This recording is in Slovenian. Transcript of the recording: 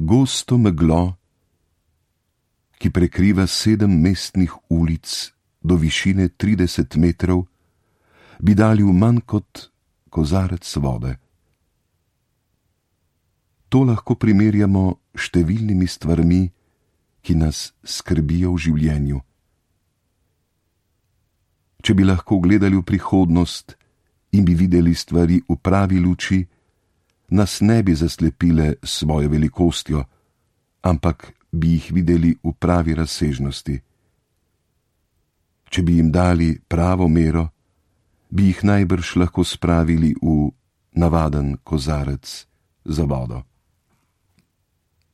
gosto meglo, ki prekriva 7 mestnih ulic do višine 30 metrov, bi dali v manj kot kozarec vode. To lahko primerjamo številnimi stvarmi, ki nas skrbijo v življenju. Če bi lahko gledali v prihodnost in bi videli stvari v pravi luči, nas ne bi zaslepile s svojo velikostjo, ampak bi jih videli v pravi razsežnosti. Če bi jim dali pravo mero, bi jih najbrž lahko spravili v navaden kozarec za vodo.